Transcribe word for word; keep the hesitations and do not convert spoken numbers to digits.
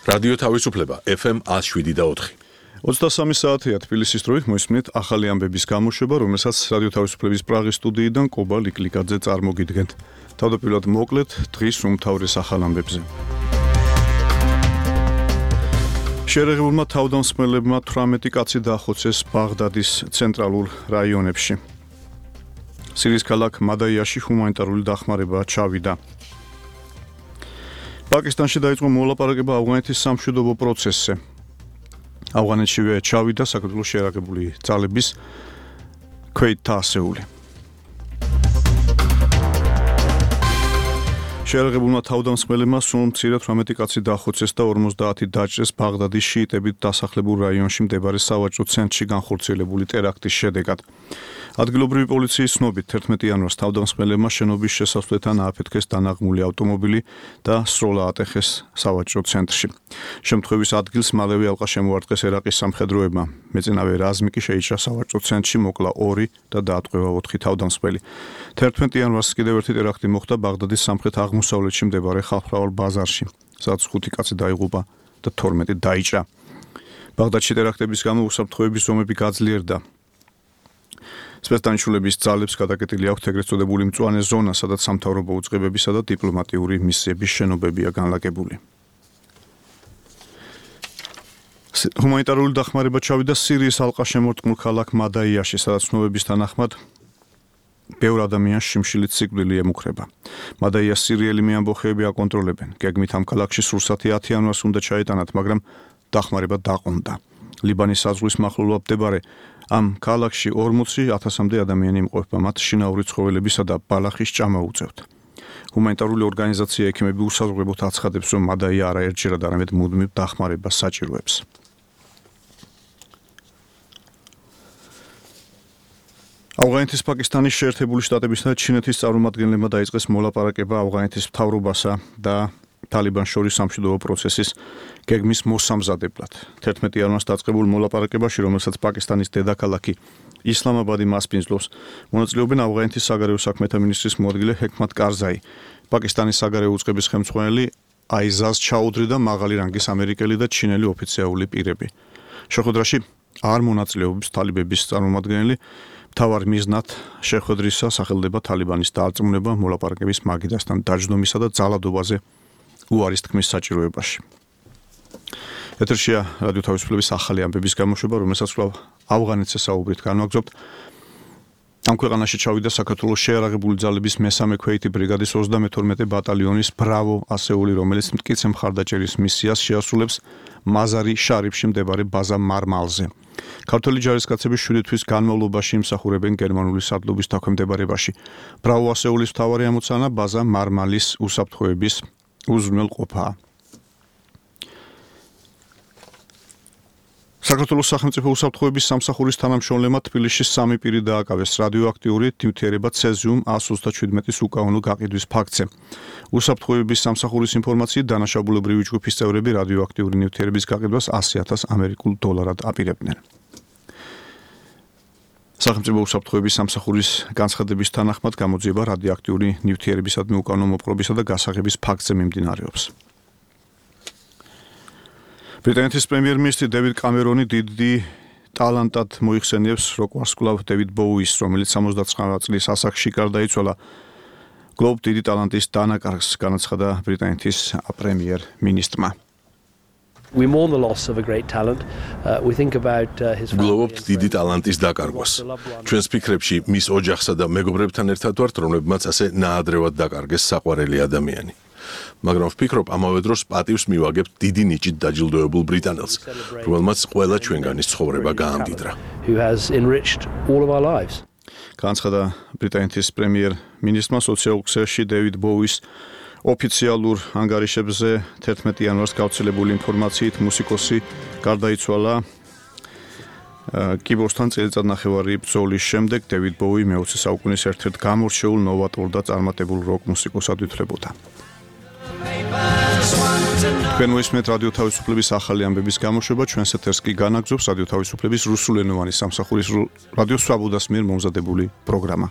რადიო თავისუფლება ეფ ემ one oh seven და four. ოცდასამი საათია თბილისის დროით მოისმინეთ ახალი ამბების გამოშვება, რომელსაც რადიო თავისუფლების პრაღის სტუდიიდან კობა ლიკლიკაძე წარმოგიდგენთ. თავდაპირველად მოკლედ დღის უმთავრეს ახალ ამბებზე. შეერაღებულმა თავდამსხმელებმა თვრამეტი კაცი დაახოცეს ბაღდადის ცენტრალურ რაიონებში. სირიის ქალაქ მადაიაში ჰუმანიტარული დახმარება ჩავიდა. პაკისტანში დაიწყო მოლაპარაკება ავღანეთის სამშვიდობო პროცესზე. ავღანეთშივე ჩავიდა საქართველოს შეერაღებული ძალების ქვეითთა ასეული. შეერაღებულმა თავდამსხმელებმა სულ მცირე თვრამეტი კაცი დაახოცეს და ორმოცდაათი დაჭრეს ბაღდადის შიიტებით დასახლებულ რაიონში მდებარე სავაჭრო ცენტრში განხორციელებული ტერაქტის შედეგად. ადგილობრივი პოლიციის ცნობით თერთმეტი იანვარს თავდამსხმელებმა შენობის შესასვლელთან ააფეთქეს დანაღმული ავტომობილი და სროლა ატეხეს სავაჭრო ცენტრში. შემთხვევის ადგილს მალევე ალყა შემოარტყეს ერაყის სამხედროებმა. მეწინავე რაზმი კი შეიჭრა სავაჭრო ცენტრში, მოკლა ორი და დაატყვევა ოთხი თავდამსხმელი. თერთმეტი იანვარს კიდევ ერთი ტერაქტი მოხდა ბაღდადის სამხრეთ აღმოსავლეთში მდებარე ხალხმრავალ ბაზარში, სადაც ხუთი კაცი დაიღუპა და თორმეტი დაიჭრა. ბაღდადში ტერაქტების გამო უსაფრთხოების ზომები გაძლიერდა. სპეცდანიშნულების ძალებს გადაკეტილი აქვთ ეგრეთ წოდებული მწვანე ზონა, სადაც სამთავრობო უწყებებისა და დიპლომატიური მისიების შენობებია განლაგებული. ჰუმანიტარული დახმარება ჩავიდა სირიის ალყაშემორტყმულ ქალაქ მადაიაში, სადაც ცნობების თანახმად ბევრ ადამიანს შიმშილით სიკვდილი ემუქრება. მადაიას სირიელი მეამბოხეები აკონტროლებენ. გეგმით ამ ქალაქში სურსათი ათი იანვარს უნდა ჩაეტანათ, მაგრამ დახმარება დაყონდა. ლიბანის საზღვრის მახლობლად მდებარე ამ ქალაქში ორმოცი ათასამდე ადამიანი იმყოფება, მათ შინაური ცხოველებისა და ბალახის ჭამა უწევთ. ჰუმანიტარული ორგანიზაცია ექიმები უსაზღვრებოდ აცხადებს, რომ მადაია არაერთჯერად არამედ მუდმივ დახმარებას საჭიროებს. ავღანეთის პაკისტანის შეერთებული შტატებისა და ჩინეთის წარმომადგენლებმა დაიწყეს მოლაპარაკება ავღანეთის მთავრობასა და თალიბანს შორის სამშვიდობო პროცესის გეგმის მოსამზადებლად. თერთმეტი იანვარს დაწყებულ მოლაპარაკებაში, რომელსაც პაკისტანის დედაქალაქი ისლამაბადი მასპინძლობს, მონაწილეობენ ავღანეთის საგარეო საქმეთა მინისტრის მოადგილე ჰეკმათ კარზაი, პაკისტანის საგარეო უწყების ხელმძღვანელი აიზაზ ჩაუდრი და მაღალი რანგის ამერიკელი და ჩინელი ოფიციალური პირები. შეხვედრაში არ მონაწილეობს თალიბების წარმომადგენელი. მთავარ მიზნად შეხვედრისა სახელდება თალიბანის დარწმუნება მოლაპარაკების მაგიდასთან დაჯდომისა და ძალადობაზე უარის თქმის საჭიროებაში. ეთერშია რადიო თავისუფლების ახალი ამბების გამოშვება, რომელსაც კვლავ ავღანეთზე საუბრით განვაგრძობთ. ამ ქვეყანაში ჩავიდა საქართველოს შეერაღებული ძალების მესამე ქვეითი ბრიგადის ოცდამეთორმეტე ბატალიონის ბრავო ასეული, რომელიც მტკიცე მხარდაჭერის მისიას შეასრულებს მაზარი შარიფში მდებარე ბაზა მარმალზე. ქართველი ჯარისკაცები შვიდი თვის განმავლობაში იმსახურებენ გერმანული სარდლობის დაქვემდებარებაში. ბრავო ასეულის მთავარი ამოცანა ბაზა მარმალის უსაფრთხოების უზრუნველყოფაა. საქართველოს სახელმწიფო უსაფრთხოების სამსახურის თანამშრომლებმა თბილისში სამი პირი დააკავეს რადიოაქტიური ნივთიერება ცეზიუმ one thirty-seven-ის უკანონო გაყიდვის ფაქტზე. უსაფრთხოების სამსახურის ინფორმაციით დანაშაულებრივი ჯგუფის წევრები რადიოაქტიური ნივთიერების გაყიდვას ასი ათას ამერიკულ დოლარად აპირებდნენ. სახელმწიფო უსაფრთხოების სამსახურის განცხადების თანახმად გამოძიება რადიოაქტიური ნივთიერებისადმი უკანონო მოპყრობისა და გასაღების ფაქტზე მიმდინარეობს. ბრიტანეთის პრემიერ-მინისტრი დევიდ კამერონი დიდი ტალანტად მოიხსენიებს როკ ვარსკვლავ დევიდ ბოუის, რომელიც სამოცდათვრამეტ წლის ასაკში გარდაიცვალა. გლობ დიდი ტალანტის დანაკარგს განაცხადა ბრიტანეთის პრემიერ-მინისტრმა. We mourn the loss of a great talent. Uh, we think about uh, his გლოვობთ დიდი ტალანტის დაკარგვას. ჩვენს ფიქრებში მის ოჯახსა და მეგობრებთან ერთად ვართ, რომლებმაც ასე ნაადრევად დაკარგეს საყვარელი ადამიანი. მაგრამ ვფიქრობ, ამავე დროს პატივს მივაგებთ დიდი ნიჭით დაჯილდოებულ ბრიტანელს, რომელმაც ყველა ჩვენგანის ცხოვრება გაამდიდრა. who has enriched all of our lives. განაცხადა ბრიტანეთის პრემიერ-მინისტრმა სოციალურ ქსელში დევიდ ბოუის ოფიციალურ ანგარიშებზე თერთმეტი იანვარს გავრცელებული ინფორმაციით მუსიკოსი გარდაიცვალა კიბორდსთან წელიწად ნახევარი ბრძოლის შემდეგ. დევიდ ბოუი მეოცე საუკუნის ერთ-ერთ გამორჩეულ ნოვატორ და წარმატებულ როკ მუსიკოსად ითვლებოდა. თქვენ მოისმენთ რადიო თავისუფლების ახალი ამბების გამოშვება, ჩვენს ეთერს კი განაგრძობს რადიო თავისუფლების რუსულენოვანი სამსახურის რადიო სვაბოდას მიერ მომზადებული პროგრამა.